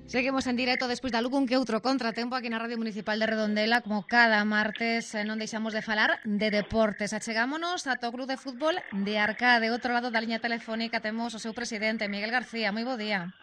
Seguimos en directo despois de algún que outro contratempo aquí na Radio Municipal de Redondela, como cada martes non deixamos de falar de deportes. Achegámonos ata o Club de Fútbol de Arcade. Outro lado da liña telefónica temos o seu presidente, Miguel García. Moi bo día.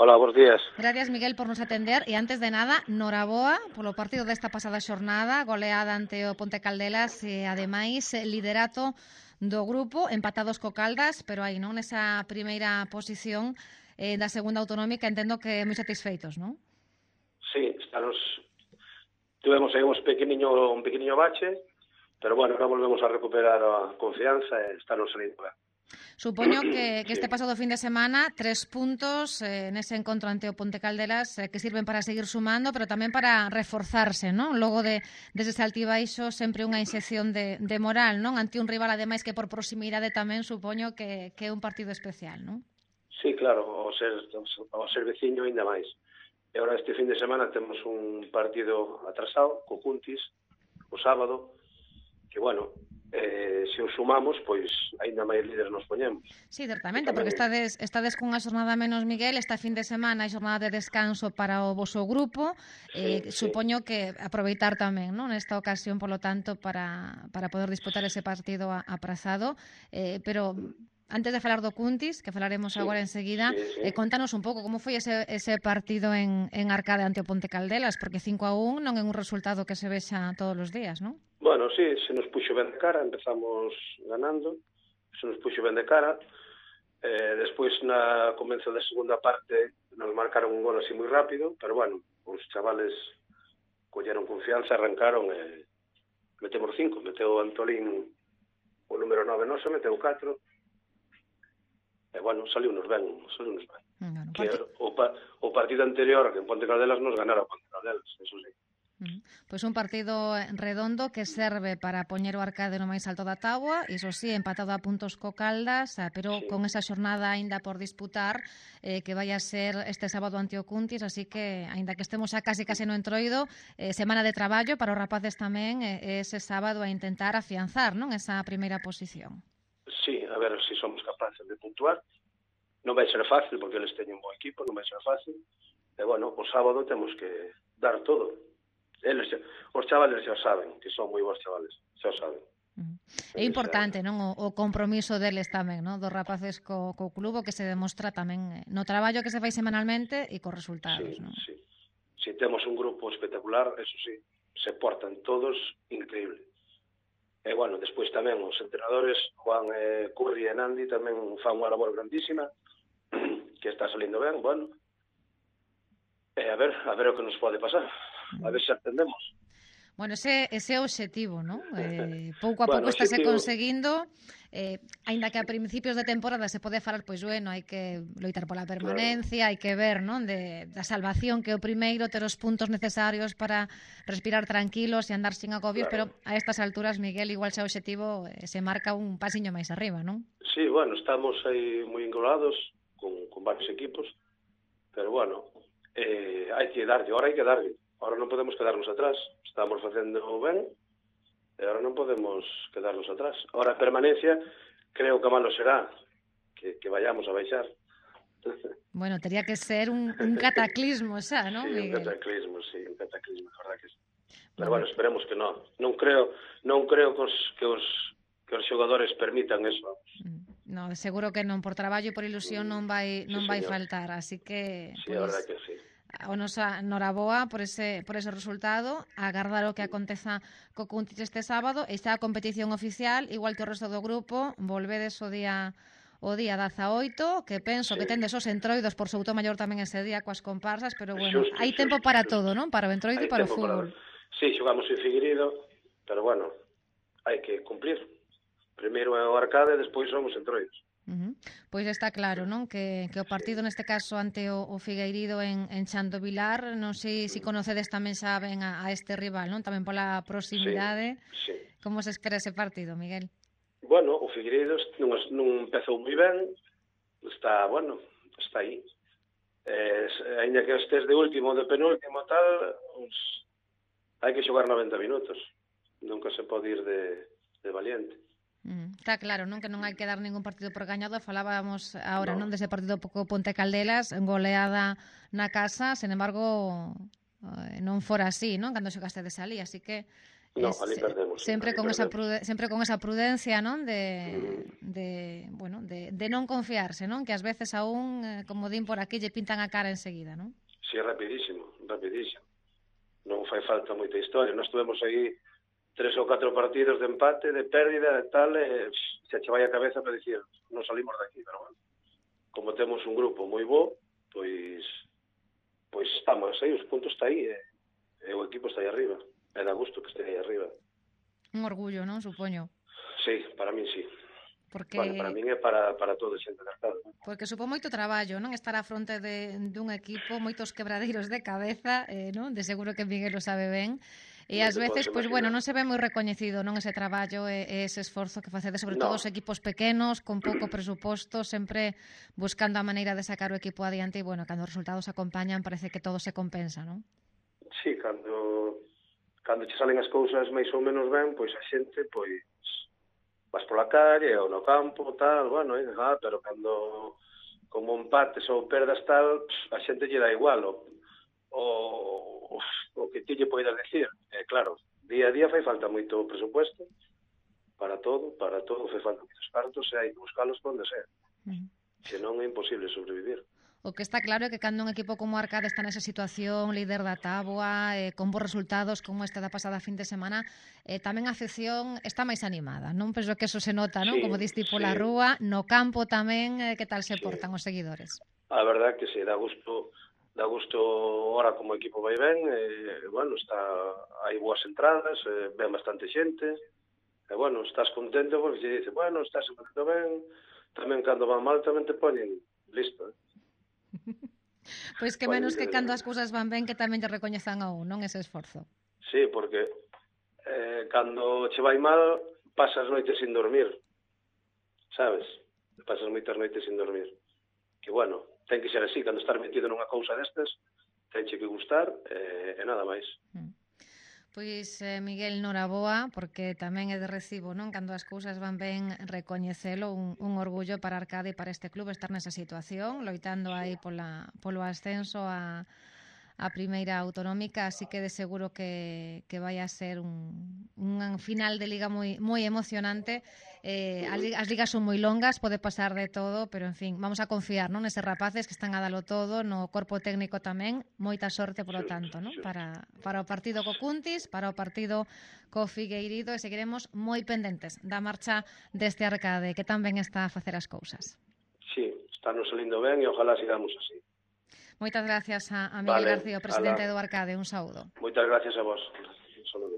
Hola, bons días. Gracias, Miguel, por nos atender. E antes de nada, noraboa polo partido desta pasada xornada, goleada ante o Ponte Caldelas e, ademais, liderato do grupo, empatados co Caldas, pero aí, non, nesa primeira posición da segunda autonómica, entendo que moi satisfeitos, non? Sí, tuvemos aí un pequeniño bache, pero bueno, ahora volvemos a recuperar a confianza e estarnos salindo ben. Supoño que sí. este pasado fin de semana 3 puntos nese encontro ante o Ponte Caldelas que sirven para seguir sumando, pero tamén para reforzarse, non? Logo deses altibaixos, sempre unha inxección de moral, non? Ante un rival, ademais, que por proximidade tamén supoño que é un partido especial, non? Sí, claro, ao ser veciño ainda máis. E agora este fin de semana temos un partido atrasado, co Cuntis, o sábado, que, bueno, se os sumamos, pois ainda máis líderes nos poñemos. Sí, certamente, porque estades cunha xornada menos, Miguel, esta fin de semana é xornada de descanso para o voso grupo, supoño que aproveitar tamén, non, nesta ocasión, polo tanto, para poder disputar ese partido aprazado, pero antes de falar do Cuntis, que falaremos agora enseguida, contanos un pouco como foi ese partido en Arcade ante o Ponte Caldelas, porque 5-1 non é un resultado que se vexa todos os días, non? Bueno, sí, se nos puxo ben de cara, empezamos ganando, se nos puxo ben de cara, despois na comenzo da segunda parte nos marcaron un gol así moi rápido, pero bueno, os chavales colleron confianza, arrancaron e metemos 5, meteu Antolín o número 9 noso, meteu 4, e bueno, saliunos ben. Bueno, que o partido anterior, que en Ponte Caldelas nos ganara o Ponte Caldelas, eso sí. Pois un partido redondo que serve para poñer o Arcade no máis alto da táboa, iso sí, empatado a puntos co Caldas, pero con esa xornada aínda por disputar, que vai a ser este sábado ante o Cuntis, así que, aínda que estemos xa case no entroido, semana de traballo para os rapaces tamén, ese sábado a intentar afianzar, non, esa primeira posición. Sí, a ver se somos capaces de puntuar. Non vai ser fácil, porque eles teñen un bo equipo, non vai ser fácil. E, bueno, o sábado temos que dar todo. Os chavales xa saben, que son moi bons chavales, xa saben. É importante, non, o compromiso deles tamén, non, dos rapaces co club, que se demostra tamén no traballo que se fai semanalmente e cos resultados, non? Sí. Si temos un grupo espectacular, eso sí, se portan todos increíble. E, bueno, despois tamén os entrenadores, Juan, Curri e Nandi, tamén fan unha labor grandísima, que está salindo ben, bueno. E a ver o que nos pode pasar. A ver se atendemos. Bueno, ese é o obxectivo, non? Pouco a pouco estáse conseguindo, aínda que a principios de temporada se pode falar, pois, bueno, hai que loitar pola permanencia, hai que ver, non, da salvación, que é o primeiro, ter os puntos necesarios para respirar tranquilos e andar sin agobios, pero a estas alturas, Miguel, igual xa o obxectivo se marca un pasiño máis arriba, non? Sí, bueno, estamos aí moi engolados con varios equipos, pero, bueno, hai que darlle, ahora non podemos quedarnos atrás, estamos facendo ben, e agora non podemos quedarnos atrás. Ahora a permanencia, creo que malo será que vayamos a baixar. Bueno, tería que ser un cataclismo xa, non, Miguel? Sí, un cataclismo, a verdad que sí. Pero, bueno, esperemos que non. Non creo que os xogadores permitan eso. No, seguro que non, por traballo e por ilusión non vai faltar, así que... Sí, a verdad que sí. O nosa noraboa por ese resultado, agardar o que aconteza co Cuntis este sábado, e xa a competición oficial, igual que o resto do grupo, volvedes o día 18, que penso que tendes os entroidos por Soutomaior tamén ese día coas comparsas, pero, bueno, hai tempo para todo, non? Para o entroido e para o fútbol. Sí, xogamos en Figueiredo, pero, bueno, hai que cumplir. Primeiro é o Arcade, despois somos entroidos. Pois está claro, non? Que o partido neste caso ante o Figueirido en Chan do Vilar, non sei se conocedes tamén xa ben a este rival, non? Tamén pola proximidade. Sí. Como se espera ese partido, Miguel? Bueno, o Figueiredo non empezou moi ben, está aí. Ainda que estés de último, de penúltimo, tal, hai que xogar 90 minutos. Nunca se pode ir de valiente. Está claro, non, que non hai que dar ningún partido por gañado. Falábamos agora, non, Non, dese partido co Ponte Caldelas, goleada na casa, sen embargo, non fora así, non, cando xogastedes ali, así que non, ali perdemos, sí, sempre ali con esa perdemos. sempre con esa prudencia, non, Uh -huh. bueno, de non confiarse, non, que ás veces aún, como din por aquí, lle pintan a cara enseguida, non? Sí, rapidísimo, rapidísimo. Non fai falta moita historia. Nós tuvemos aí 3 ou 4 partidos de empate, de pérdida, de tal, se che vai a cabeza para dicir, non salimos daqui, pero bueno, como temos un grupo moi bo, pois estamos aí, os puntos está aí, e o equipo está aí arriba, e dá gusto que este aí arriba. Un orgullo, non, supoño. Sí, para min sí. Porque Bueno, para min é para todo xente de Arcade. Porque supón moito traballo, non, estar á fronte dun equipo, moitos quebradeiros de cabeza, non? De seguro que Miguel o sabe ben. E Non ás te podes veces, pois bueno, imaginar. non se ve moi recoñecido, non, ese traballo e ese esforzo que facedes, sobre todo No, os equipos pequenos, con pouco presuposto, sempre buscando a maneira de sacar o equipo adiante e, bueno, cando os resultados acompañan, parece que todo se compensa, non? sí, cando che salen as cousas máis ou menos ben, pois a xente, pois vas pola calle ou no campo, tal, bueno, pero cando como empates ou perdas tal, a xente lle dá igual o que ti lle poidas decir. Claro, día a día fai falta moito presupuesto para todo fai falta moitos cartos e hai que buscalos onde sea. Senón é imposible sobrevivir. O que está claro é que cando un equipo como Arcade está nesa situación, líder da táboa, con bons resultados como esta da pasada fin de semana, tamén a afección está máis animada, non? Penso que eso se nota, non? Sí, Como diste pola sí, rúa, no campo tamén, que tal se sí. portan os seguidores? A verdade que sí, dá gusto ora como equipo vai ben, bueno, hai boas entradas, ven bastante xente, e bueno, estás contento porque se dice, bueno, estás contento ben, tamén cando van mal tamén te poñen listo, Pois que menos que cando as cousas van ben que tamén lle recoñezan a un, non, ese esforzo. Sí, porque cando che vai mal pasas noites sin dormir, sabes? Pasas moitas noites sin dormir. Que bueno, ten que ser así, cando estás metido nunha cousa destas, tenche que gustar e nada máis. Pois, Miguel, noraboa, porque tamén é de recibo, non? Cando as cousas van ben, recoñecelo, un orgullo para Arcade e para este club estar nesa situación, loitando aí polo ascenso a primeira autonómica, así que de seguro que vai a ser un final de liga moi emocionante. As ligas son moi longas, pode pasar de todo, pero en fin, vamos a confiar, non, neses rapaces que están a dalo todo, no corpo técnico tamén, moita sorte polo tanto, non? Para o partido co Cuntis, para o partido co Figueirido, e seguiremos moi pendentes da marcha deste Arcade, que tan ben está a facer as cousas. Sí, está nos salindo ben e ojalá sigamos así. Moitas gracias a Miguel García, o presidente do Arcade. Un saúdo. Moitas gracias a vos. Un saúdo.